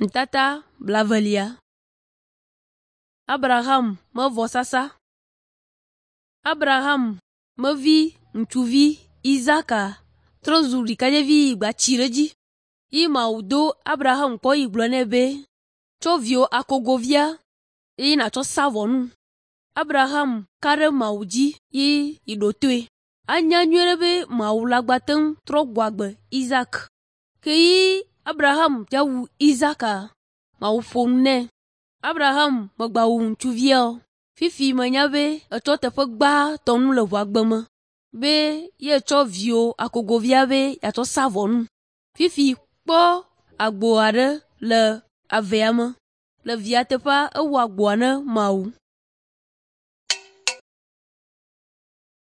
Nutata blaevelia. Abraham me vɔsasa. Abraham me vi ŋutsuvi Isaka trɔ zu ɖekadzevi yi gba tsi ɖe edzi. Yi Mawu do Abraham kpɔ yi gblɔ nɛ be, “Tsɔ viwò akogovia eye nàtsɔ sa vɔ num.” Abraham ka ɖe Mawu dzi ye yi ɖo toe. Anya nyuie ɖe be Mawu la gba te ŋu trɔ gbɔ agbe Isak. Ke yi Abraham dza wu Isaka, Mawu ƒo nu nɛ. Abraham megbawu ŋutsuvia o. Fifi menya be etsɔ teƒe gbãtɔ nu le ʋuagbe me be ye tsɔ viwò akogovia be yeatsɔ sa vɔ num. Fifi kpɔ agbo aɖe le avea me. Le via teƒea ewu agboa ne Mawu.